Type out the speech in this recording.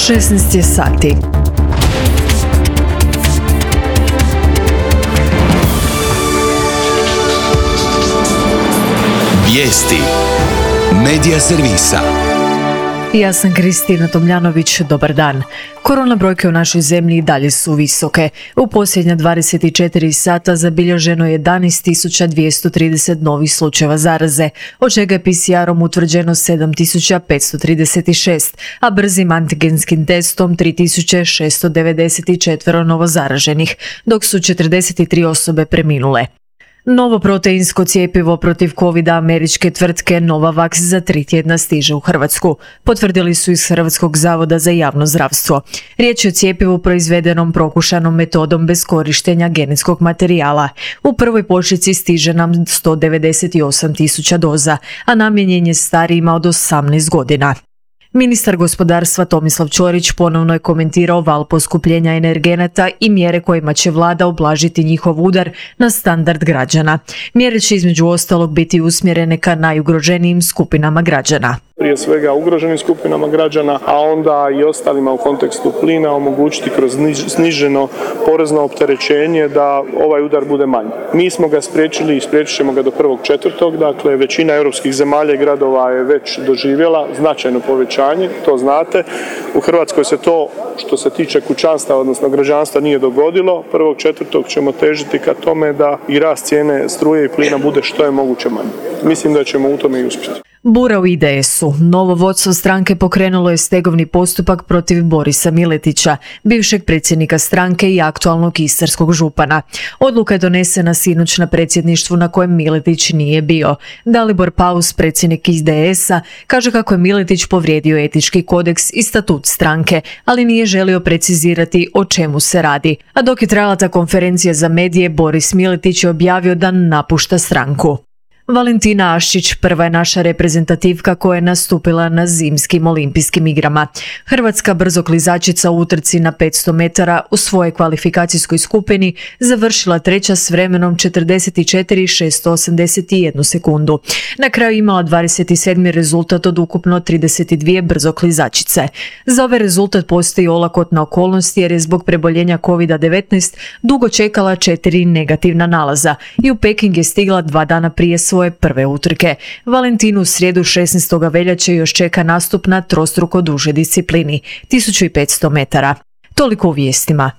16 je sati. Vijesti Medija servisa. Ja sam Kristina Tomljanović, dobar dan. Korona brojke u našoj zemlji i dalje su visoke. U posljednja 24 sata zabilježeno je 11.230 novih slučajeva zaraze, od čega je PCR-om utvrđeno 7.536, a brzim antigenskim testom 3.694 novozaraženih, dok su 43 osobe preminule. Novo proteinsko cjepivo protiv covida američke tvrtke Novavax za 3 tjedna stiže u Hrvatsku, potvrdili su iz Hrvatskog zavoda za javno zdravstvo. Riječ je o cjepivu proizvedenom prokušanom metodom bez korištenja genetskog materijala. U prvoj pošiljci stiže nam 198.000 doza, a namijenjen je starijima od 18 godina. Ministar gospodarstva Tomislav Ćorić ponovno je komentirao val poskupljenja energenata i mjere kojima će vlada ublažiti njihov udar na standard građana. Mjere će između ostalog biti usmjerene ka najugroženijim skupinama građana. Prije svega ugroženim skupinama građana, a onda i ostalima u kontekstu plina omogućiti kroz sniženo porezno opterećenje da ovaj udar bude manji. Mi smo ga spriječili i spriječit ćemo ga do 1.4. Dakle, većina europskih zemalja i gradova je već doživjela značajno povećanje, to znate. U Hrvatskoj se to, što se tiče kućanstva, odnosno građanstva, nije dogodilo. 1.4. ćemo težiti ka tome da i rast cijene struje i plina bude što je moguće manji. Mislim da ćemo u tome i uspjeti. Bura u IDS-u. Novo vodstvo stranke pokrenulo je stegovni postupak protiv Borisa Miletića, bivšeg predsjednika stranke i aktualnog istarskog župana. Odluka je donesena sinoć na predsjedništvu na kojem Miletić nije bio. Dalibor Paus, predsjednik IDS-a, kaže kako je Miletić povrijedio etički kodeks i statut stranke, ali nije želio precizirati o čemu se radi. A dok je trajala ta konferencija za medije, Boris Miletić je objavio da napušta stranku. Valentina Aščić prva je naša reprezentativka koja je nastupila na zimskim olimpijskim igrama. Hrvatska brzoklizačica u utrci na 500 metara u svojoj kvalifikacijskoj skupini završila treća s vremenom 44.681 sekundu. Na kraju imala 27. rezultat od ukupno 32 brzoklizačice. Za ovaj rezultat postoji olakotna okolnost jer je zbog preboljenja COVID-19 dugo čekala 4 negativna nalaza i u Peking je stigla 2 dana prije svoje prve utrke. Valentinu u srijedu 16. veljače još čeka nastup na trostruko duže disciplini, 1500 metara. Toliko u vijestima.